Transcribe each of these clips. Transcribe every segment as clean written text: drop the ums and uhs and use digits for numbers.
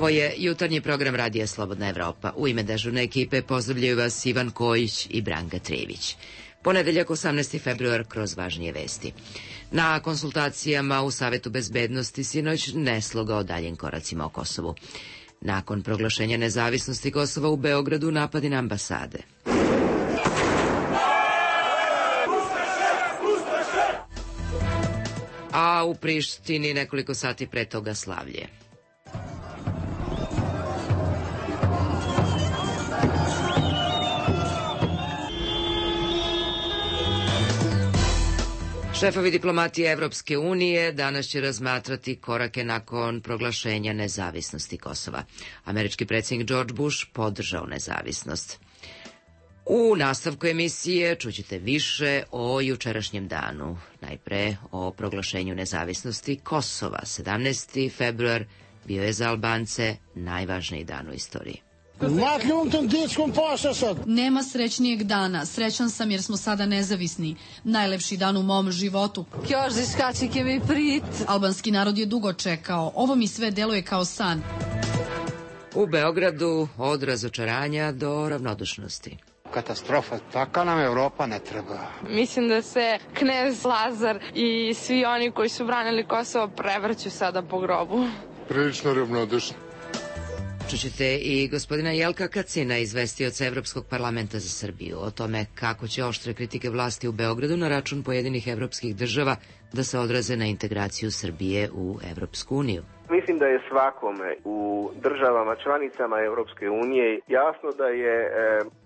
Ovo je jutarnji program Radija Slobodna Evropa. U ime dežurne ekipe pozdravljaju vas Ivan Kojić i Branka Trević. Ponedeljak 18. februar kroz važnije vesti. Na konsultacijama u Savetu bezbednosti sinoć nesloga o daljim koracima o Kosovu. Nakon proglašenja nezavisnosti Kosova u Beogradu napadi na ambasade. A u Prištini nekoliko sati pre toga slavlje. Šefovi diplomatije Evropske unije danas će razmatrati korake nakon proglašenja nezavisnosti Kosova. Američki predsjednik George Bush podržao nezavisnost. U nastavku emisije čućete više o jučerašnjem danu. Najpre o proglašenju nezavisnosti Kosova. 17. februar bio je za Albance najvažniji dan u istoriji. Nema srećnijeg dana. Srećan sam jer smo sada nezavisni. Najlepši dan u mom životu. Albanski narod je dugo čekao. Ovo mi sve deluje kao san. U Beogradu od razočaranja do ravnodušnosti. Katastrofa, taka nam Evropa ne treba. Mislim da se knez Lazar i svi oni koji su branili Kosovo prevrću sada po grobu. Prilično ravnodušno. Čućete i gospodina Jelka Kacina, izvestioca Evropskog parlamenta za Srbiju, o tome kako će oštre kritike vlasti u Beogradu na račun pojedinih evropskih država da se odraze na integraciju Srbije u Evropsku uniju. Mislim da je svakome u državama članicama Evropske unije jasno da je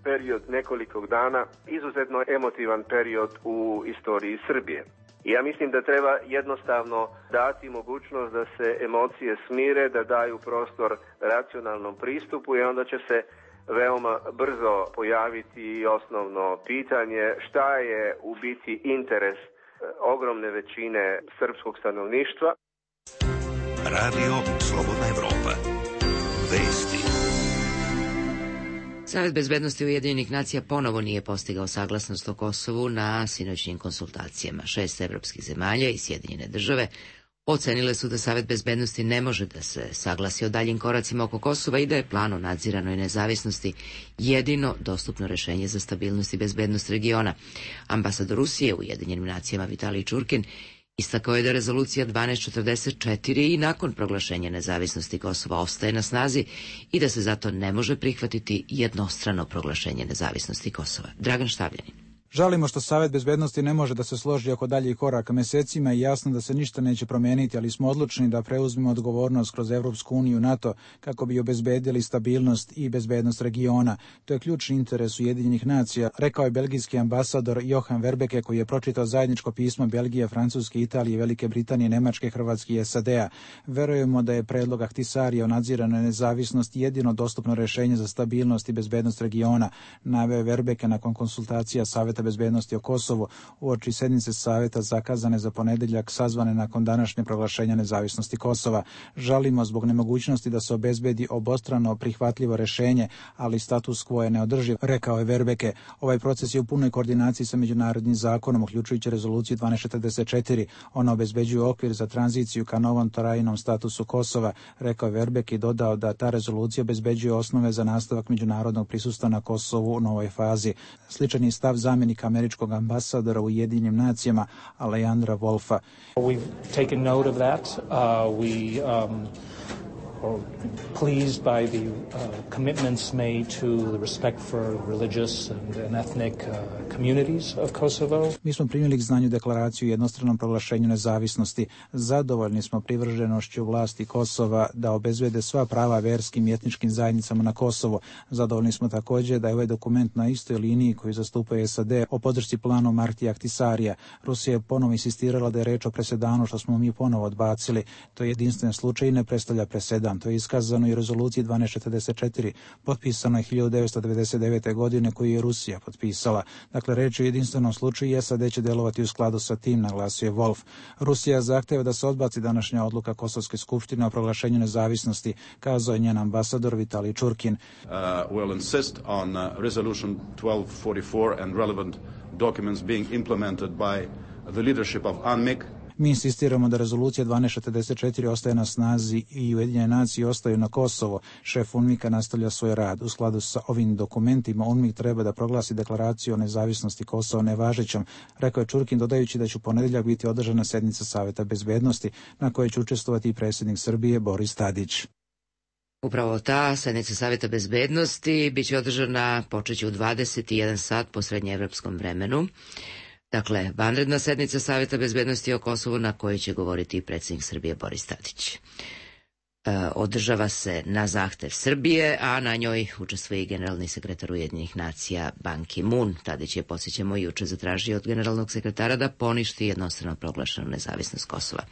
period nekoliko dana izuzetno emotivan period u istoriji Srbije. Ja mislim da treba jednostavno dati mogućnost da se emocije smire, da daju prostor racionalnom pristupu i onda će se veoma brzo pojaviti osnovno pitanje šta je u biti interes ogromne većine srpskog stanovništva. Radio Slobodna Evropa. Vesti. Savet bezbednosti Ujedinjenih nacija ponovo nije postigao saglasnost o Kosovu na sinoćnim konsultacijama. 6 evropskih zemalja i Sjedinjene države ocenile su da Savet bezbednosti ne može da se saglasi o daljim koracima oko Kosova i da je plan o nadziranoj nezavisnosti jedino dostupno rešenje za stabilnost i bezbednost regiona. Ambasador Rusije u Ujedinjenim nacijama Vitalij Čurkin istakao je da rezolucija 1244 i nakon proglašenja nezavisnosti Kosova ostaje na snazi i da se zato ne može prihvatiti jednostrano proglašenje nezavisnosti Kosova. Dragan Štavljanin. Žalimo što Savet bezbednosti ne može da se složi oko daljih koraka. Mesecima je jasno da se ništa neće promeniti, ali smo odlučni da preuzmemo odgovornost kroz Evropsku uniju i NATO kako bi obezbedili stabilnost i bezbednost regiona. To je ključni interes Ujedinjenih nacija, rekao je belgijski ambasador Johan Verbeke, koji je pročitao zajedničko pismo Belgije, Francuske, Italije, Velike Britanije, Nemačke, Hrvatske i SAD-a. Verujemo da je predlog Ahtisarija o nadziranoj nezavisnosti jedino dostupno rešenje za stabilnost i bezbednost regiona, naveo je Verbeke nakon konsultacija Saveta bezbednosti o Kosovu uoči sednice Saveta zakazane za ponedeljak sazvane nakon današnje proglašenja nezavisnosti Kosova. Žalimo zbog nemogućnosti da se obezbedi obostrano prihvatljivo rešenje, ali status quo je neodrživ, rekao je Verbeke. Ovaj proces je u punoj koordinaciji sa međunarodnim zakonom, uključujući rezoluciju 1244. Ona obezbeđuje okvir za tranziciju ka novom trajnom statusu Kosova, rekao je Verbeke i dodao da ta rezolucija obezbeđuje osnove za nastavak međunarodnog prisustva na Kosovu u novoj fazi. Sličan je stav zamjenika američkog ambasadora u Ujedinjenim nacijama Alejandra Wolfa. We've taken note of that. Pleased by the commitments made to the respect for religious and ethnic communities of Kosovo. Mi smo primili k znanju deklaraciju o jednostranom proglašenju nezavisnosti. Zadovoljni smo privrženošću vlasti Kosova da obezbede sva prava verskim i etničkim zajednicama na Kosovu. Zadovoljni smo također da je ovaj dokument na istoj liniji koju zastupaju SAD o podršci planu Martija Ahtisarija. Rusija je ponovo insistirala da je reč o presedanu što smo mi ponovo odbacili. To je jedinstven slučaj i ne predstavlja presedan. suveran. To je iskazano i u rezoluciji 1244, potpisano je 1999. godine, koju je Rusija potpisala. Dakle, reč je o jedinstvenom slučaju i SAD će delovati u skladu sa tim, naglasio je Wolf. Rusija zahteva da se odbaci današnja odluka Kosovske skupštine o proglašenju nezavisnosti, kazao je njen ambasador Vitalij Čurkin. Will insist on resolution 1244 and relevant documents being implemented by the leadership of UNMIK. Mi insistiramo da rezolucija 1244 ostaje na snazi i Ujedinjene nacije ostaju na Kosovo. Šef UNMIK-a nastavlja svoj rad. U skladu sa ovim dokumentima UNMIK treba da proglasi deklaraciju o nezavisnosti Kosova nevažećom, rekao je Čurkin, dodajući da će u ponedjeljak biti održana sednica Saveta bezbednosti na kojoj će učestvovati i predsjednik Srbije Boris Tadić. Upravo ta sednica Saveta bezbednosti biće održana počeće u 21 sat po srednjeevropskom vremenu. Dakle, vanredna sednica Saveta bezbednosti o Kosovu na kojoj će govoriti i predsjednik Srbije Boris Tadić. Održava se na zahtev Srbije, a na njoj učestvuje i generalni sekretar Ujedinjenih nacija Ban Ki-moon. Tadić je, podsjećamo, juče zatražio od generalnog sekretara da poništi jednostrano proglašenu nezavisnost Kosova.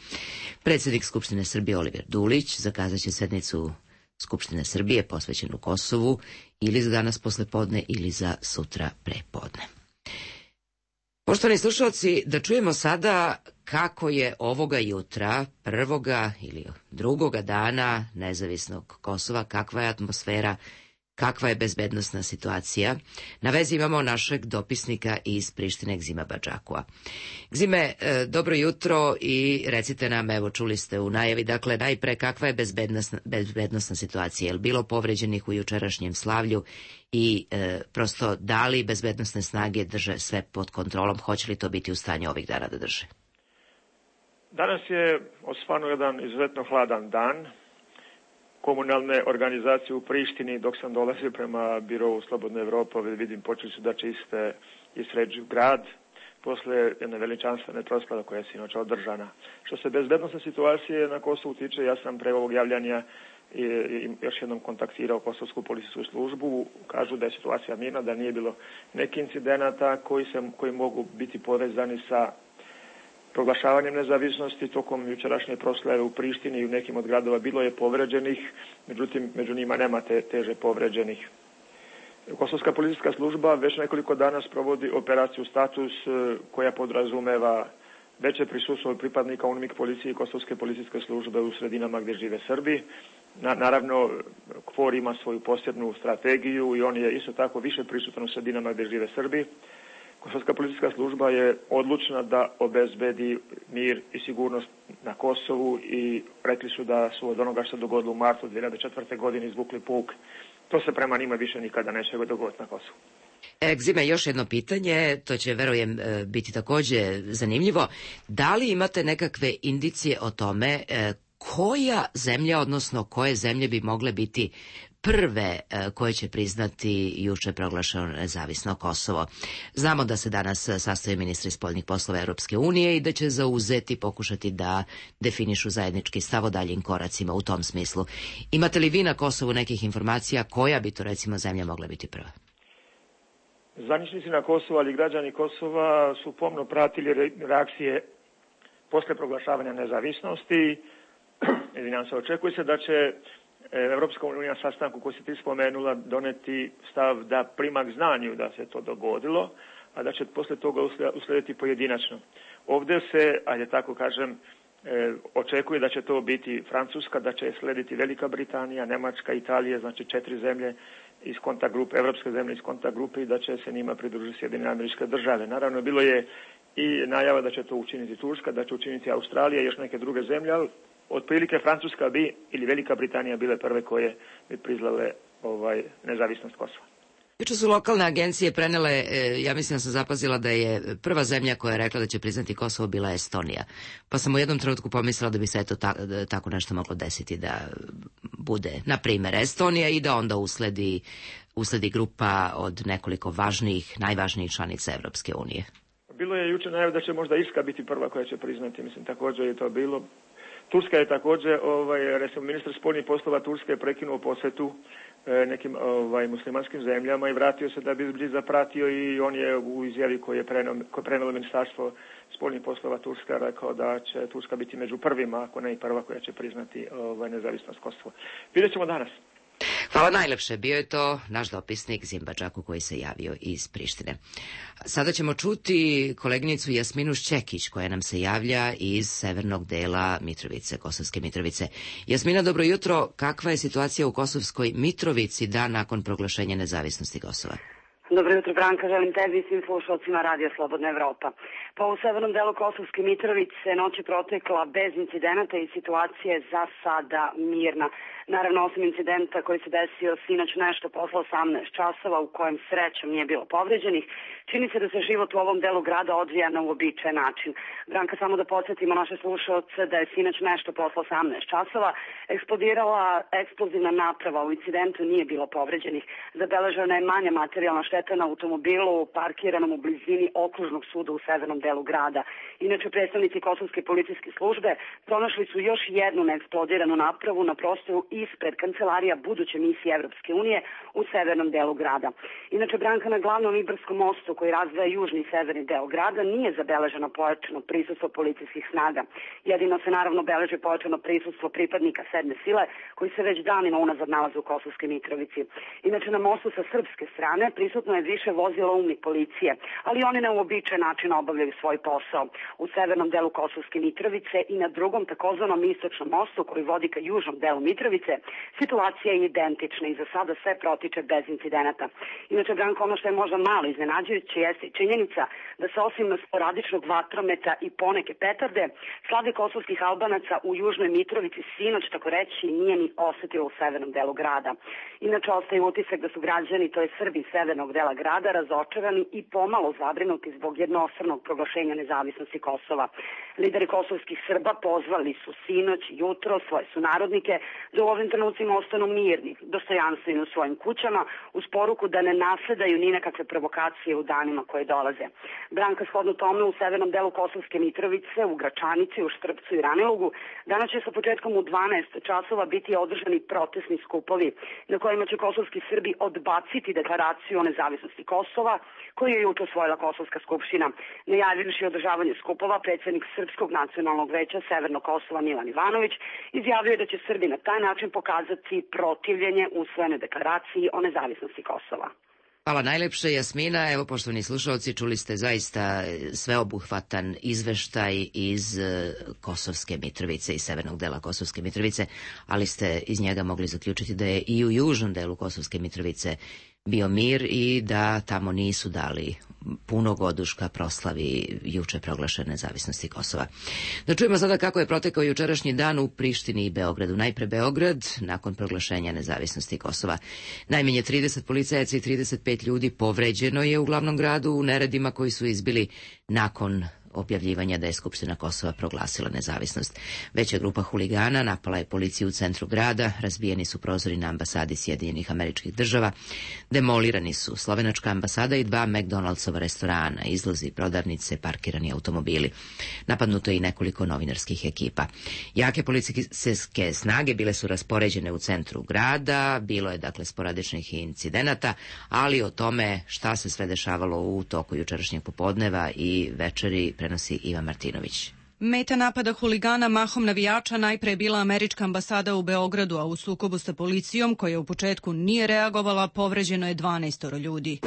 Predsjednik Skupštine Srbije Oliver Dulić zakazat će sednicu Skupštine Srbije posvećenu Kosovu ili za danas poslepodne ili za sutra prepodne. Poštovani slušalci, da čujemo sada kako je ovoga jutra, prvoga ili drugoga dana nezavisnog Kosova, kakva je atmosfera, kakva je bezbednosna situacija. Na vezi imamo našeg dopisnika iz Prištine, Gzima Badžakua. Gzime, dobro jutro i recite nam, evo čuli ste u najavi, dakle najpre kakva je bezbednosna situacija, je li bilo povređenih u jučerašnjem slavlju i prosto da li bezbednosne snage drže sve pod kontrolom, hoće li to biti u stanju ovih dana da drže? Danas je osvano jedan izuzetno hladan dan. Komunalne organizacije u Prištini, dok sam dolazio prema birovu Slobodne Evrope, vidim počeli su da čiste i sređuju grad posle jedne veličanstvene proslave koja je sinoć održana. Što se bezbednosne situacije na Kosovu tiče, ja sam pre ovog javljanja i još jednom kontaktirao Kosovsku policijsku službu. Kažu da je situacija mirna, da nije bilo neki incidenata koji mogu biti povezani sa proglašavanjem nezavisnosti. Tokom jučerašnje proslave u Prištini i u nekim od gradova bilo je povređenih, međutim među njima nema teže povređenih. Kosovska policijska služba već nekoliko dana sprovodi operaciju Status koja podrazumeva veće prisustvo pripadnika UNMIK policije i Kosovske policijske službe u sredinama gdje žive Srbi. Naravno, KFOR ima svoju posebnu strategiju i on je isto tako više prisutan u sredinama gdje žive Srbi. Kosovska policijska služba je odlučna da obezbedi mir i sigurnost na Kosovu i rekli su da su od onoga što se dogodilo u martu 2004. godine izvukli pouk. To se prema njima više nikada neće dogoditi na Kosovu. Gzime, još jedno pitanje, to će, verujem, biti također zanimljivo. Da li imate nekakve indicije o tome koja zemlja, odnosno koje zemlje bi mogle biti prve koje će priznati juče proglašeno nezavisno Kosovo? Znamo da se danas sastaju ministri spoljnih poslova Europske unije i da će zauzeti, pokušati da definišu zajednički stav o daljim koracima u tom smislu. Imate li vi na Kosovu nekih informacija koja bi to recimo zemlja mogla biti prva? Zvaničnici na Kosovu, ali građani Kosova su pomno pratili reakcije posle proglašavanja nezavisnosti. Očekuje se da će Evropska unija na sastanku koji se ti spomenula doneti stav da prima k znanju da se to dogodilo, a da će posle toga uslediti pojedinačno. Ovdje se, ajde tako kažem, očekuje da će to biti Francuska, da će slediti Velika Britanija, Nemačka, Italija, znači 4 zemlje iz kontakt grupe, evropske zemlje iz kontakt grupe i da će se njima pridružiti Sjedinjene Američke Države. Naravno, bilo je i najava da će to učiniti Turska, da će učiniti Australija i još neke druge zemlje, ali otprilike Francuska bi ili Velika Britanija bile prve koje bi priznale nezavisnost Kosova. Juče su lokalne agencije prenele, ja mislim da sam zapazila da je prva zemlja koja je rekla da će priznati Kosovo bila Estonija. Pa sam u jednom trenutku pomislila da bi se eto tako nešto moglo desiti, da bude, na primjer, Estonija i da onda usledi grupa od nekoliko najvažnijih članica Evropske unije. Bilo je juče najava da će možda Irska biti prva koja će priznati, mislim također je to bilo. Turska je također, recimo ministar spoljnih poslova Turske je prekinuo posjetu nekim muslimanskim zemljama i vratio se da bi zapratio i on je u izjavi koje je prenelo Ministarstvo spoljnih poslova Turska rekao da će Turska biti među prvima, ako ne i prva koja će priznati nezavisnost Kosova. Vidjet ćemo danas. Hvala najlepše. Bio je to naš dopisnik Zimba Džaku koji se javio iz Prištine. Sada ćemo čuti koleginicu Jasminu Šćekić koja nam se javlja iz severnog dela Mitrovice, Kosovske Mitrovice. Jasmina, dobro jutro. Kakva je situacija u Kosovskoj Mitrovici dan nakon proglašenja nezavisnosti Kosova? Dobro jutro, Branka, želim tebi i svim slušalcima Radija Slobodna Evropa. Pa u severnom delu Kosovske Mitrovice noć je protekla bez incidenata i situacija je za sada mirna. Naravno, osim incidenta koji se desio sinoć nešto posle 18 časova u kojem srećom nije bilo povređenih, čini se da se život u ovom delu grada odvija na uobičajen način. Branka, samo da podsjetimo naše slušalce da je sinoć nešto posle 18 časova eksplodirala eksplozivna naprava. U incidentu nije bilo povređenih. Zabeležena je manja materijalna šteta na automobilu parkiranom u blizini okružnog suda u severnom delu grada. Inače, predstavnici Kosovske policijske službe pronašli su još jednu neeksplodiranu napravu na prostoru ispred kancelarija buduće misije Evropske unije u severnom delu grada. Inače, Branka, na glavnom Ibarskom mostu koji razdvaja južni i severni deo grada nije zabeleženo pojačano prisustvo policijskih snaga. Jedino se naravno beleži pojačano prisustvo pripadnika sedme sile koji se već danima unazad nalaze u Kosovskoj Mitrovici. Inače, na mostu sa srpske strane prisutno je više vozila UMNI policije, ali oni na uobičajen način obavljaju svoj posao. U severnom delu Kosovske Mitrovice i na drugom takozvanom istočnom mostu koji vodi ka južnom delu Mitrovice, situacija je identična i za sada sve protiče bez incidenata. Inače, Branko, ono što je možda malo iznenađujuće jeste činjenica da se osim sporadičnog vatrometa i poneke petarde, slade kosovskih Albanaca u južnoj Mitrovici sinoć, tako reći, nije ni osetilo u severnom delu grada. Inače, ostaje utisak da su građani, to je Srbi severnog dela grada, razočarani i pomalo zabrinuti zbog jednostranog proglašenja nezavisnosti Kosova. Lideri kosovskih Srba pozvali su sinoć i jutro svoje sunarodnike da u ovim trenucima ostanu mirni, dostojanstveni u svojim kućama, uz poruku da ne nasledaju ni nekakve provokacije u danima koje dolaze. Branka, shodno tome, u severnom delu Kosovske Mitrovice, u Gračanici, u Štrpcu i Ranilugu, danas će sa početkom u 12 časova biti održani protestni skupovi na kojima će kosovski Srbi odbaciti deklaraciju o nezavisnosti Kosova koju je juče usvojila Kosovska skupština. Najavivši održavanje skupova, predsjednik Srpskog nacionalnog veća Severnog Kosova Milan Ivanović izjavio da će Srbi na taj način pokazati protivljenje usvojenoj deklaraciji o nezavisnosti Kosova. Hvala najlepše, Jasmina. Evo, poštovani slušalci, čuli ste zaista sveobuhvatan izveštaj iz Kosovske Mitrovice, iz severnog dela Kosovske Mitrovice, ali ste iz njega mogli zaključiti da je i u južnom delu Kosovske Mitrovice bio mir i da tamo nisu dali punog oduška proslavi juče proglašene nezavisnosti Kosova. Da čujemo sada kako je protekao jučerašnji dan u Prištini i Beogradu. Najpre Beograd, nakon proglašenja nezavisnosti Kosova. Najmanje 30 policajaca i 35 ljudi povređeno je u glavnom gradu u neredima koji su izbili nakon objavljivanja da je Skupština Kosova proglasila nezavisnost. Veća grupa huligana napala je policiju u centru grada, razbijeni su prozori na ambasadi Sjedinjenih Američkih Država, demolirani su slovenačka ambasada i 2 McDonaldsova restorana, izlozi, prodavnice, parkirani automobili. Napadnuto je i nekoliko novinarskih ekipa. Jake policijske snage bile su raspoređene u centru grada, bilo je dakle sporadičnih incidenata, ali o tome šta se sve dešavalo u toku jučerašnjeg popodneva i večeri prenosi Ivan Martinović. Meta napada huligana mahom navijača najpre je bila američka ambasada u Beogradu, a u sukobu sa policijom, koja u početku nije reagovala, povređeno je 12 ljudi.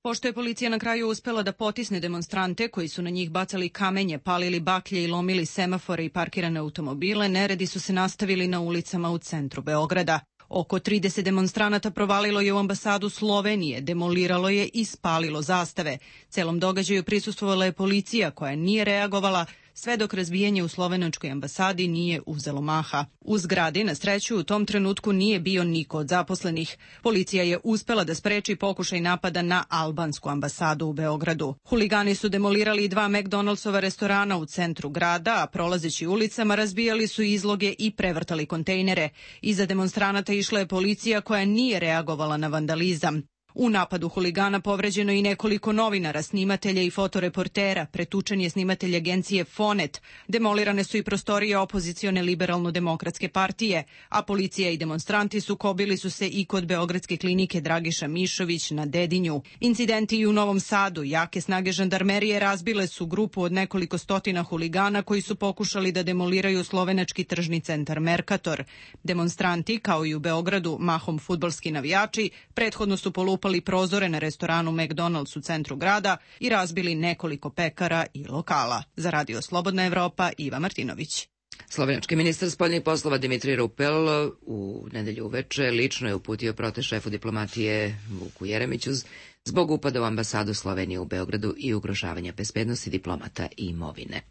Pošto je policija na kraju uspela da potisne demonstrante koji su na njih bacali kamenje, palili baklje i lomili semafore i parkirane automobile, neredi su se nastavili na ulicama u centru Beograda. Oko 30 demonstranata provalilo je u ambasadu Slovenije, demoliralo je i spalilo zastave. Celom događaju prisustvovala je policija koja nije reagovala, sve dok razbijanje u slovenačkoj ambasadi nije uzelo maha. U zgradi, na sreću, u tom trenutku nije bio niko od zaposlenih. Policija je uspela da spreči pokušaj napada na albansku ambasadu u Beogradu. Huligani su demolirali 2 McDonaldsova restorana u centru grada, a prolazeći ulicama razbijali su izloge i prevrtali kontejnere. Iza demonstranata išla je policija koja nije reagovala na vandalizam. U napadu huligana povređeno i nekoliko novinara, snimatelja i fotoreportera, pretučen je snimatelj agencije Fonet, demolirane su i prostorije opozicione liberalno-demokratske partije, a policija i demonstranti sukobili su se i kod Beogradske klinike Dragiša Mišović na Dedinju. Incidenti i u Novom Sadu, jake snage žandarmerije razbile su grupu od nekoliko stotina huligana koji su pokušali da demoliraju slovenački tržni centar Mercator. Demonstranti, kao i u Beogradu, mahom fudbalski navijači, prethodno su polupali prozore na restoranu McDonald's u centru grada i razbili nekoliko pekara i lokala. Za Radio Slobodna Evropa, Iva Martinović. Slovenački ministar spoljnih poslova Dimitrij Rupel u nedelju uveče lično je uputio protest šefu diplomatije Vuku Jeremiću zbog upada u ambasadu Slovenije u Beogradu i ugrožavanja bezbednosti diplomata i imovine.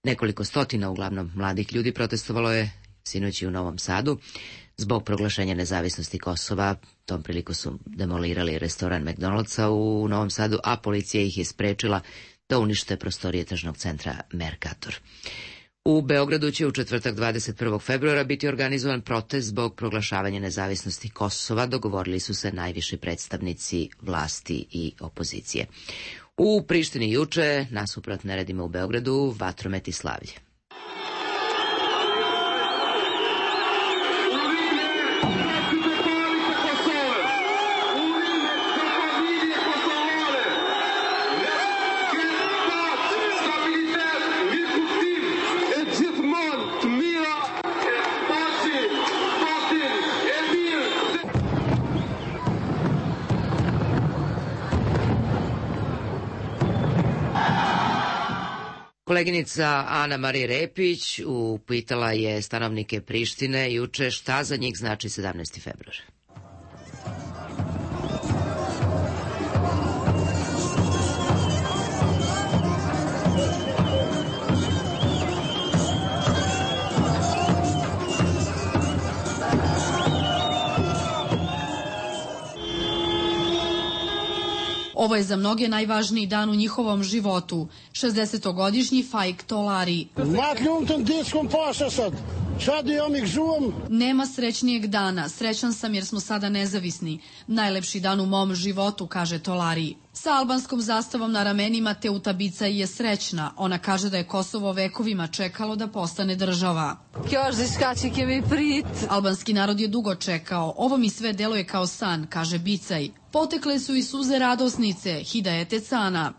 Nekoliko stotina, uglavnom mladih ljudi, protestovalo je sinoć i u Novom Sadu zbog proglašenja nezavisnosti Kosova. Tom priliku su demolirali restoran McDonald'sa u Novom Sadu, a policija ih je sprečila da unište prostorije tržnog centra Mercator. U Beogradu će u četvrtak 21. februara biti organizovan protest zbog proglašavanja nezavisnosti Kosova, dogovorili su se najviši predstavnici vlasti i opozicije. U Prištini juče, nasuprot neredima u Beogradu, vatromet i slavlje. Koleginica Ana Marija Repić upitala je stanovnike Prištine juče šta za njih znači 17. februar. Ovo je za mnoge najvažniji dan u njihovom životu. 60-godišnji Faik Tolari. Nema srećnijeg dana. Srećan sam jer smo sada nezavisni. Najlepši dan u mom životu, kaže Tolari. Sa albanskom zastavom na ramenima Teuta Bicaj je srećna. Ona kaže da je Kosovo vekovima čekalo da postane država. Albanski narod je dugo čekao. Ovo mi sve deluje kao san, kaže Bicaj. Potekle su i suze radosnice, Hidajete Cana.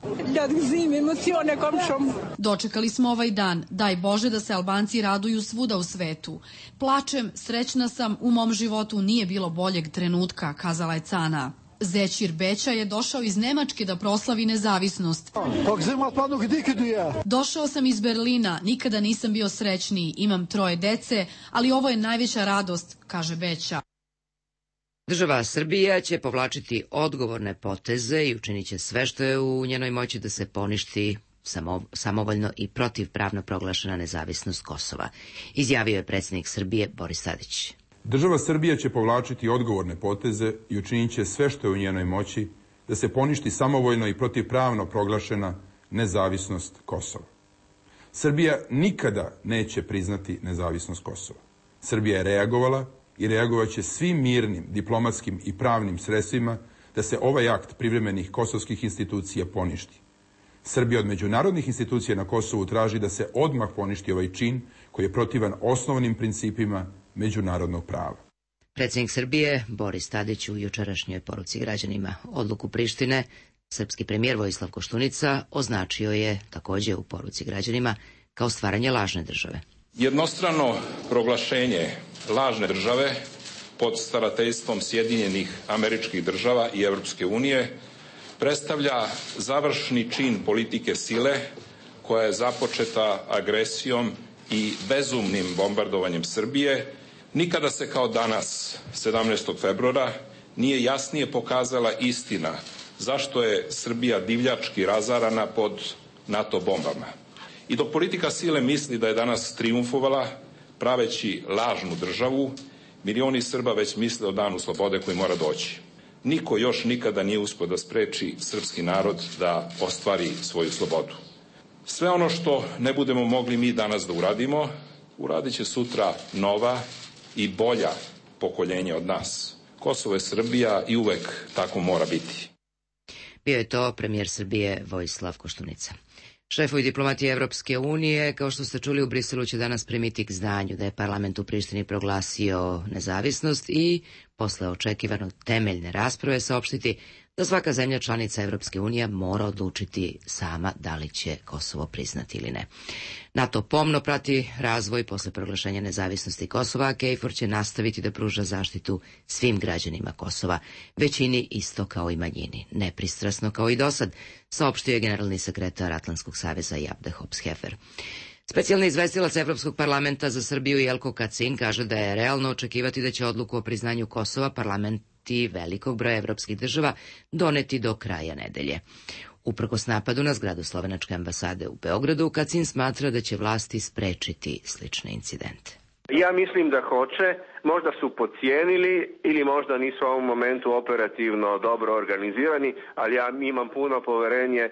Dočekali smo ovaj dan. Daj Bože da se Albanci raduju svuda u svetu. Plačem, srećna sam, u mom životu nije bilo boljeg trenutka, kazala je Cana. Zećir Beća je došao iz Nemačke da proslavi nezavisnost. Došao sam iz Berlina, nikada nisam bio srećniji, imam 3 dece, ali ovo je najveća radost, kaže Beća. Država Srbija će povlačiti odgovorne poteze i učinit će sve što je u njenoj moći da se poništi samovoljno i protivpravno proglašena nezavisnost Kosova, izjavio je predsjednik Srbije Boris Tadić. Država Srbija će povlačiti odgovorne poteze i učinit će sve što je u njenoj moći da se poništi samovoljno i protivpravno proglašena nezavisnost Kosova. Srbija nikada neće priznati nezavisnost Kosova. Srbija je reagovala i reagovat će svim mirnim, diplomatskim i pravnim sredstvima da se ovaj akt privremenih kosovskih institucija poništi. Srbija od međunarodnih institucija na Kosovu traži da se odmah poništi ovaj čin koji je protivan osnovnim principima međunarodnog prava. Predsjednik Srbije Boris Tadić u jučerašnjoj poruci građanima odluku Prištine, srpski premijer Vojislav Koštunica označio je također u poruci građanima kao stvaranje lažne države. Jednostrano proglašenje lažne države pod starateljstvom Sjedinjenih Američkih Država i Europske unije predstavlja završni čin politike sile koja je započeta agresijom i bezumnim bombardovanjem Srbije. Nikada se kao danas, 17. februara, nije jasnije pokazala istina zašto je Srbija divljački razarana pod NATO bombama. I dok politika sile misli da je danas trijumfovala, praveći lažnu državu, milioni Srba već misle o danu slobode koji mora doći. Niko još nikada nije uspio da spreči srpski narod da ostvari svoju slobodu. Sve ono što ne budemo mogli mi danas da uradimo, uradit će sutra nova i bolja pokoljenja od nas, Kosovo je Srbija i uvek tako mora biti. Bio je to premijer Srbije Vojislav Koštunica. Šefovi diplomatije Evropske unije, kao što ste čuli, u Briselu će danas primiti k znanju da je parlament u Prištini proglasio nezavisnost i posle očekivano temeljne rasprave saopštiti da svaka zemlja članica Evropske unije mora odlučiti sama da li će Kosovo priznati ili ne. NATO pomno prati razvoj posle proglašenja nezavisnosti Kosova, a KFOR će nastaviti da pruža zaštitu svim građanima Kosova, većini isto kao i manjini, nepristrasno kao i dosad, saopštio je generalni sekretar Atlantskog saveza Jabde Hops-Hefer. Specijalni izvestilac Evropskog parlamenta za Srbiju Jelko Kacin kaže da je realno očekivati da će odluku o priznanju Kosova parlamenti velikog broja evropskih država doneti do kraja nedelje. Uprkos napadu na zgradu slovenačke ambasade u Beogradu, Kacin smatra da će vlasti sprečiti slične incidente. Ja mislim da hoće, možda su podcijenili ili možda nisu u ovom momentu operativno dobro organizirani, ali ja imam puno poverenje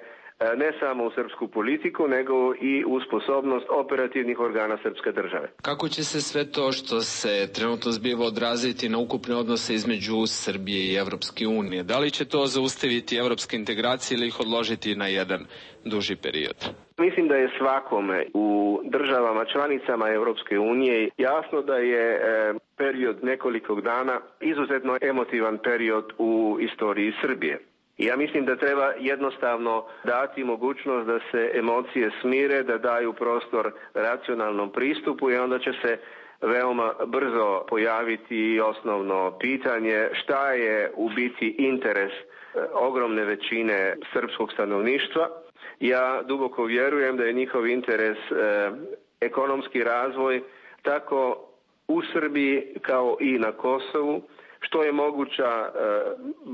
ne samo u srpsku politiku, nego i u sposobnost operativnih organa srpske države. Kako će se sve to što se trenutno zbiva odraziti na ukupne odnose između Srbije i Evropske unije? Da li će to zaustaviti evropske integracije ili ih odložiti na jedan duži period? Mislim da je svakome u državama članicama Evropske unije jasno da je period nekoliko dana izuzetno emotivan period u istoriji Srbije. Ja mislim da treba jednostavno dati mogućnost da se emocije smire, da daju prostor racionalnom pristupu i onda će se veoma brzo pojaviti osnovno pitanje šta je u biti interes ogromne većine srpskog stanovništva. Ja duboko vjerujem da je njihov interes ekonomski razvoj tako u Srbiji kao i na Kosovu, što je moguća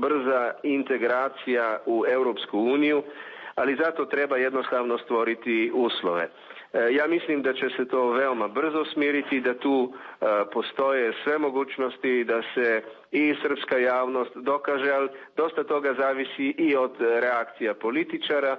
brza integracija u Europsku uniju, ali zato treba jednostavno stvoriti uslove. Ja mislim da će se to veoma brzo smiriti, da tu postoje sve mogućnosti da se i srpska javnost dokaže, ali dosta toga zavisi i od reakcija političara.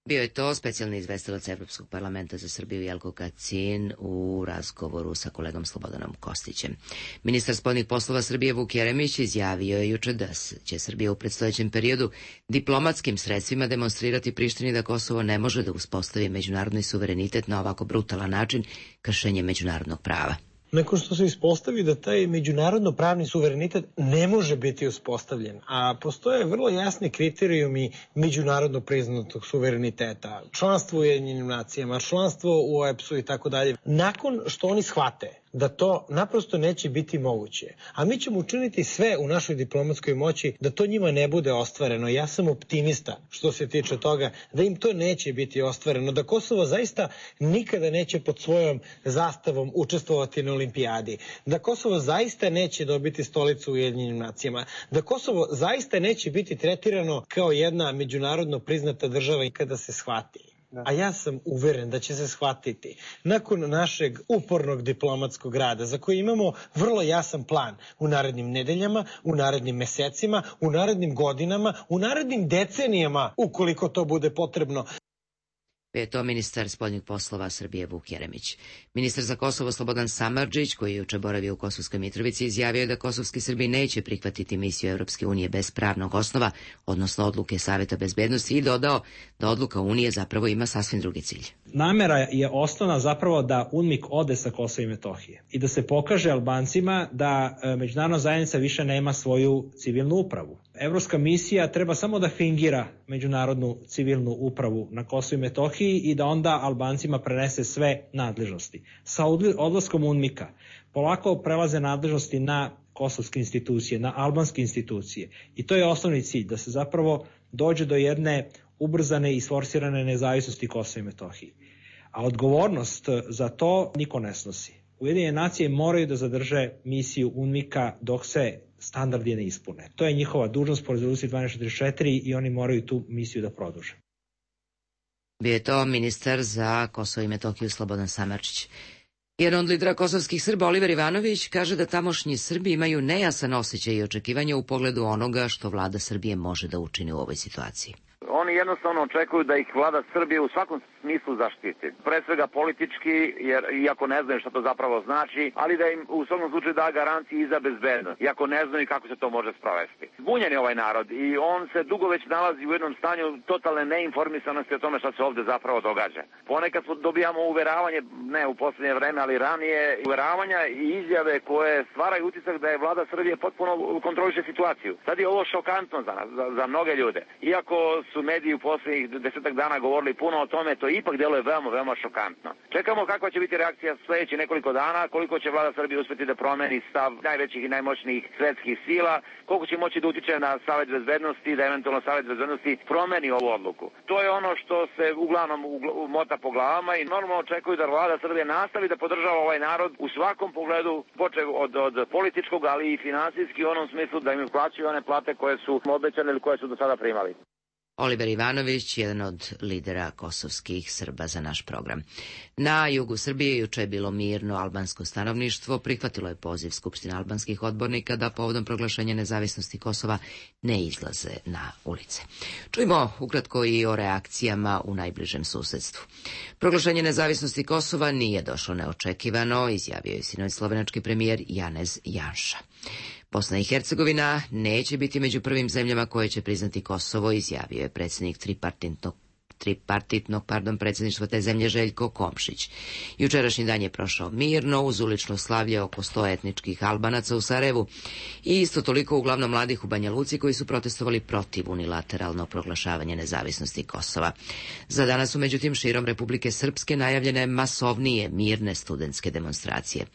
Bio je to specijalni izvestilac Evropskog parlamenta za Srbiju Jelko Kacin u razgovoru sa kolegom Slobodanom Kostićem. Ministar spoljnih poslova Srbije Vuk Jeremić izjavio je juče da će Srbija u predstojećem periodu diplomatskim sredstvima demonstrirati Prištini da Kosovo ne može da uspostavi međunarodni suverenitet na ovako brutalan način, kršenje međunarodnog prava. Nakon što se ispostavi da taj međunarodno pravni suverenitet ne može biti uspostavljen, a postoje vrlo jasni kriterijumi međunarodno priznatog suvereniteta, članstvo u Ujedinjenim nacijama, članstvo u OEBS-u i tako dalje. Nakon što oni shvate da to naprosto neće biti moguće, a mi ćemo učiniti sve u našoj diplomatskoj moći da to njima ne bude ostvareno. Ja sam optimista što se tiče toga da im to neće biti ostvareno, da Kosovo zaista nikada neće pod svojom zastavom učestvovati na olimpijadi, da Kosovo zaista neće dobiti stolicu u Ujedinjenim nacijama, da Kosovo zaista neće biti tretirano kao jedna međunarodno priznata država i kada se shvati. A ja sam uveren da će se shvatiti nakon našeg upornog diplomatskog rada za koji imamo vrlo jasan plan u narednim nedeljama, u narednim mesecima, u narednim godinama, u narednim decenijama ukoliko to bude potrebno. Je to ministar spoljnih poslova Srbije Vuk Jeremić. Ministar za Kosovo Slobodan Samardžić, koji je juče boravio u Kosovskoj Mitrovici, izjavio je da kosovski Srbi neće prihvatiti misiju Evropske unije bez pravnog osnova, odnosno odluke Saveta bezbednosti, i dodao da odluka Unije zapravo ima sasvim drugi cilj. Namera je osnovna zapravo da UNMIK ode sa Kosova i Metohije i da se pokaže Albancima da međunarodna zajednica više nema svoju civilnu upravu. Evropska misija treba samo da fingira međunarodnu civilnu upravu na Kosovu i Metohiji i da onda Albancima prenese sve nadležnosti. Sa odlaskom UNMIK-a polako prelaze nadležnosti na kosovske institucije, na albanske institucije. I to je osnovni cilj, da se zapravo dođe do jedne ubrzane i sforsirane nezavisnosti Kosova i Metohije. A odgovornost za to niko ne snosi. Ujedinjene nacije moraju da zadrže misiju UNMIK-a dok se standardi ne ispune. To je njihova dužnost po rezoluciji 1244 i oni moraju tu misiju da produže. Bio je to ministar za Kosovo i Metohiju Slobodan Samardžić. Jedan od lidera kosovskih Srba, Oliver Ivanović, kaže da tamošnji Srbi imaju nejasan osjećaj i očekivanja u pogledu onoga što vlada Srbije može da učini u ovoj situaciji. Oni oni jednostavno očekuju da ih vlada Srbije u svakom smislu zaštiti. Pre svega politički, jer iako ne znaju šta to zapravo znači, ali da im u svakom slučaju da garancije i za bezbednost, iako ne znaju kako se to može sprovesti. Zbunjen je ovaj narod i on se dugo već nalazi u jednom stanju totalne neinformisanosti o tome šta se ovde zapravo događa. Ponekad dobijamo uveravanje, ne u poslednje vreme, ali ranije, uveravanja i izjave koje stvaraju utisak da je vlada Srbije potpuno kontroliše situaciju. Sad je ovo šokantno za nas, za mnoge ljude. Iako su mediji u poslednjih 10 dana govorili puno o tome, to ipak deluje veoma šokantno. Čekamo kakva će biti reakcija sledećih nekoliko dana, koliko će vlada Srbije uspeti da promeni stav najvećih i najmoćnijih svetskih sila, koliko će moći da utiče na Savet bezbednosti, da eventualno Savet bezbednosti promeni ovu odluku. To je ono što se uglavnom mota po glavama i normalno očekuju da vlada Srbije nastavi da podržava ovaj narod u svakom pogledu, počev od političkog, ali i finansijski u onom smislu da im plaćaju one plate koje su obećane ili koje su do sada primali. Oliver Ivanović, jedan od lidera kosovskih Srba za naš program. Na jugu Srbije juče je bilo mirno albansko stanovništvo, prihvatilo je poziv Skupštine albanskih odbornika da povodom proglašenja nezavisnosti Kosova ne izlaze na ulice. Čujmo ukratko i o reakcijama u najbližem susedstvu. Proglašenje nezavisnosti Kosova nije došlo neočekivano, izjavio je sinoć slovenački premijer Janez Janša. Bosna i Hercegovina neće biti među prvim zemljama koje će priznati Kosovo, izjavio je predsjednik tripartitnog predsjedništva te zemlje Željko Komšić. Jučerašnji dan je prošao mirno, uz ulično slavlje oko 100 etničkih Albanaca u Sarajevu i isto toliko uglavnom mladih u Banja Luci koji su protestovali protiv unilateralnog proglašavanja nezavisnosti Kosova. Za danas su međutim širom Republike Srpske najavljene masovnije mirne studentske demonstracije.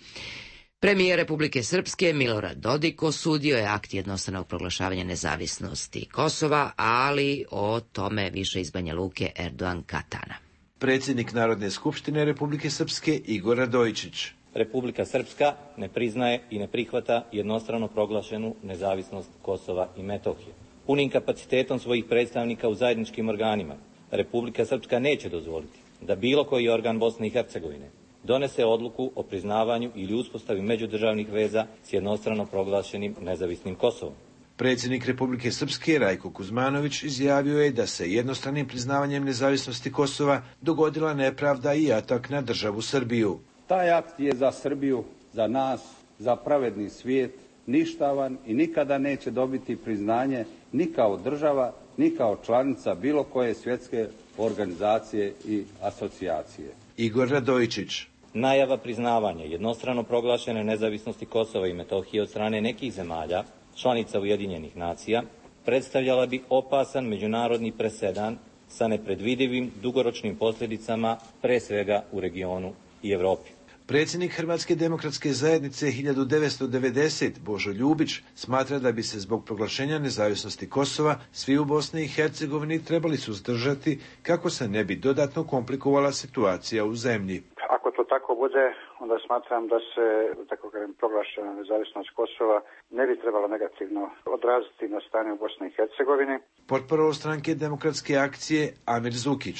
Premijer Republike Srpske Milorad Dodik osudio je akt jednostranog proglašavanja nezavisnosti Kosova, ali o tome više iz Banja Luke Erdogan Katana. Predsjednik Narodne skupštine Republike Srpske Igor Radojičić. Republika Srpska ne priznaje i ne prihvata jednostrano proglašenu nezavisnost Kosova i Metohije. Punim kapacitetom svojih predstavnika u zajedničkim organima, Republika Srpska neće dozvoliti da bilo koji organ Bosne i Hercegovine donese odluku o priznavanju ili uspostavi međudržavnih veza s jednostrano proglašenim nezavisnim Kosovom. Predsjednik Republike Srpske Rajko Kuzmanović izjavio je da se jednostranim priznavanjem nezavisnosti Kosova dogodila nepravda i atak na državu Srbiju. Taj akt je za Srbiju, za nas, za pravedni svijet ništavan i nikada neće dobiti priznanje ni kao država, ni kao članica bilo koje svjetske organizacije i asocijacije. Igor Radojičić. Najava priznavanja jednostrano proglašene nezavisnosti Kosova i Metohije od strane nekih zemalja, članica Ujedinjenih nacija, predstavljala bi opasan međunarodni presedan sa nepredvidivim dugoročnim posljedicama, pre svega u regionu i Evropi. Predsjednik Hrvatske demokratske zajednice 1990 Božo Ljubić smatra da bi se zbog proglašenja nezavisnosti Kosova svi u Bosni i Hercegovini trebali suzdržati kako se ne bi dodatno komplikovala situacija u zemlji. Ako to tako bude, onda smatram da se, tako kažem, proglašena nezavisnost Kosova ne bi trebalo negativno odraziti na stanje u Bosni i Hercegovini. Portparol stranke Demokratske akcije Amir Zukić.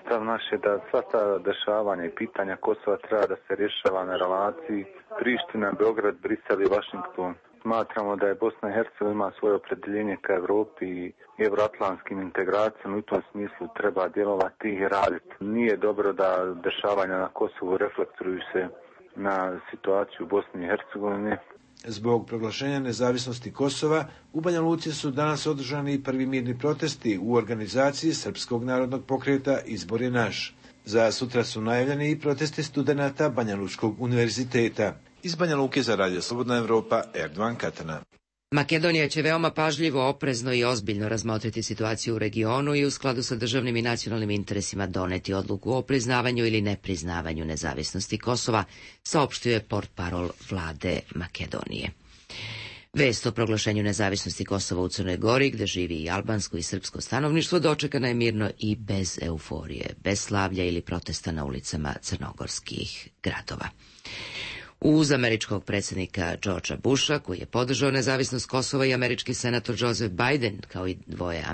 Stav naš je da sva ta dešavanja i pitanja Kosova treba da se rješava na relaciji Priština, Beograd, Brisel i Vašington. Smatramo da je Bosna i Hercegovina ima svoje opredjeljenje ka Evropi i evroatlantskim integracijama, u tom smislu treba djelovati i raditi. Nije dobro da dešavanja na Kosovu reflektuju se na situaciju u Bosni i Hercegovini. Zbog proglašenja nezavisnosti Kosova u Banja Luci su danas održani prvi mirni protesti u organizaciji Srpskog narodnog pokreta Izbor je naš. Za sutra su najavljeni i protesti studenata Banja Lučkog univerziteta. Iz Banja Luke za Radio Slobodna Evropa, Erdogan Katana. Makedonija će veoma pažljivo, oprezno i ozbiljno razmotriti situaciju u regionu i u skladu sa državnim i nacionalnim interesima doneti odluku o priznavanju ili nepriznavanju nezavisnosti Kosova, saopštio je portparol vlade Makedonije. Vest o proglašenju nezavisnosti Kosova u Crnoj Gori, gde živi i albansko i srpsko stanovništvo, dočekana je mirno i bez euforije, bez slavlja ili protesta na ulicama crnogorskih gradova. Uz američkog predsjednika Georgea Busha, koji je podržao nezavisnost Kosova, i američki senator Joseph Biden, kao i dvoje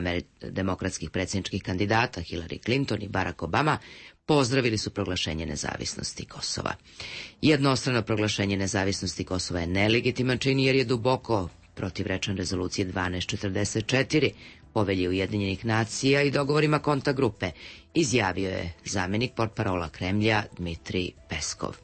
demokratskih predsjedničkih kandidata, Hillary Clinton i Barack Obama, pozdravili su proglašenje nezavisnosti Kosova. Jednostrano proglašenje nezavisnosti Kosova je nelegitiman čin jer je duboko protivrečan rezolucije 1244, Povelji Ujedinjenih nacija i dogovorima Konta grupe, izjavio je zamenik portparola Kremlja Dmitrij Peskov.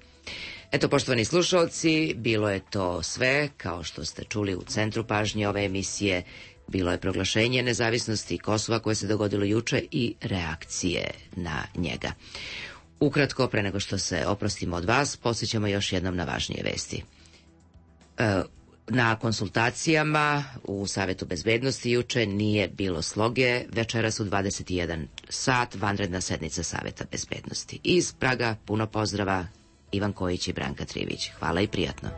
Eto, poštovani slušalci, bilo je to sve, kao što ste čuli u centru pažnje ove emisije, bilo je proglašenje nezavisnosti Kosova koje se dogodilo juče i reakcije na njega. Ukratko, pre nego što se oprostimo od vas, podsjećamo još jednom na važnije vesti. Na konsultacijama u Savetu bezbednosti juče nije bilo sloge, večeras u 21 sat vanredna sednica Saveta bezbednosti. Iz Praga puno pozdrava, Ivan Kojić i Branka Trivić. Hvala i prijatno.